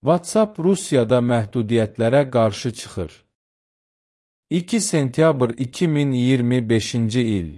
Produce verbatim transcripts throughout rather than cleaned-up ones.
WhatsApp Rusiyada məhdudiyyətlərə qarşı çıxır. iki sentyabr iki min iyirmi beşinci il.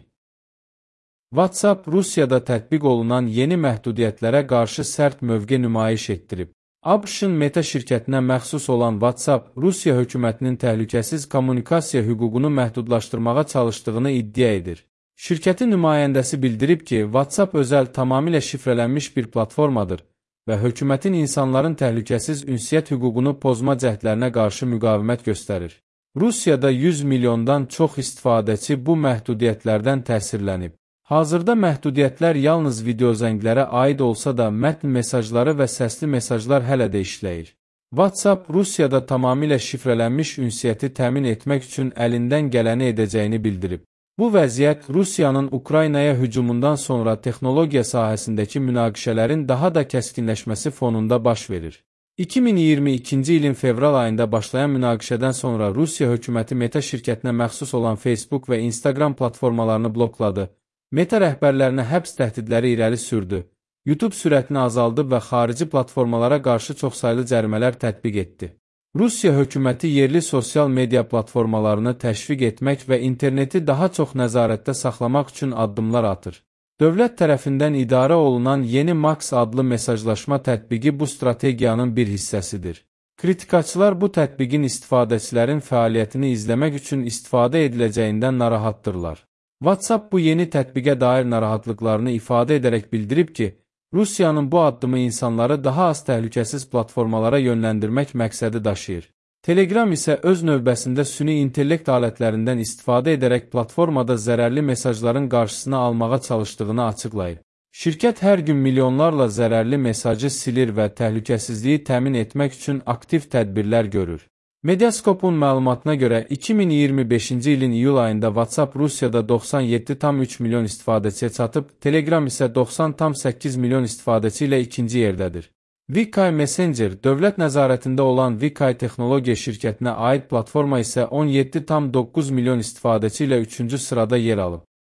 WhatsApp Rusiyada tətbiq olunan yeni məhdudiyyətlərə qarşı sərt mövqe nümayiş etdirib. ABŞ-ın Meta şirkətinə məxsus olan WhatsApp, Rusiya hökumətinin təhlükəsiz kommunikasiya hüququnu məhdudlaşdırmağa çalışdığını iddia edir. Şirkətin nümayəndəsi bildirib ki, WhatsApp özəl, tamamilə şifrələnmiş bir platformadır və hökumətin insanların təhlükəsiz ünsiyyət hüququnu pozma cəhdlərinə qarşı müqavimət göstərir. Rusiyada yüz milyondan çox istifadəçi bu məhdudiyyətlərdən təsirlənib. Hazırda məhdudiyyətlər yalnız videozənglərə aid olsa da, mətn mesajları və səsli mesajlar hələ də işləyir. WhatsApp Rusiyada tamamilə şifrələnmiş ünsiyyəti təmin etmək üçün əlindən gələni edəcəyini bildirib. Bu vəziyyət Rusiyanın Ukraynaya hücumundan sonra texnologiya sahəsindəki münaqişələrin daha da kəskinləşməsi fonunda baş verir. iki min iyirmi ikinci ilin fevral ayında başlayan münaqişədən sonra Rusiya hökuməti Meta şirkətinə məxsus olan Facebook və Instagram platformalarını blokladı. Meta rəhbərlərinə həbs təhdidləri irəli sürdü. YouTube sürətini azaldıb və xarici platformalara qarşı çoxsaylı cərimələr tətbiq etdi. Rusiya hökuməti yerli sosial media platformalarını təşviq etmək və interneti daha çox nəzarətdə saxlamaq üçün addımlar atır. Dövlət tərəfindən idarə olunan yeni Max adlı mesajlaşma tətbiqi bu strategiyanın bir hissəsidir. Kritikaçılar bu tətbiqin istifadəçilərin fəaliyyətini izləmək üçün istifadə ediləcəyindən narahatdırlar. WhatsApp bu yeni tətbiqə dair narahatlıqlarını ifadə edərək bildirib ki, Rusiyanın bu addımı insanları daha az təhlükəsiz platformalara yönləndirmək məqsədi daşıyır. Telegram isə öz növbəsində süni intellekt alətlərindən istifadə edərək platformada zərərli mesajların qarşısını almağa çalışdığını açıqlayır. Şirkət hər gün milyonlarla zərərli mesajı silir və təhlükəsizliyi təmin etmək üçün aktiv tədbirlər görür. Mediaskopun məlumatına görə iki min iyirmi beşinci ilin iyul ayında WhatsApp Rusiyada doxsan yeddi tam üç milyon istifadəçiyə çatıb, Telegram isə doxsan tam səkkiz milyon istifadəçi ilə ikinci yerdədir. VK Messenger, dövlət nəzarətində olan VK texnologiya şirkətinə aid platforma isə on yeddi tam doqquz milyon istifadəçi ilə üçüncü sırada yer alıb.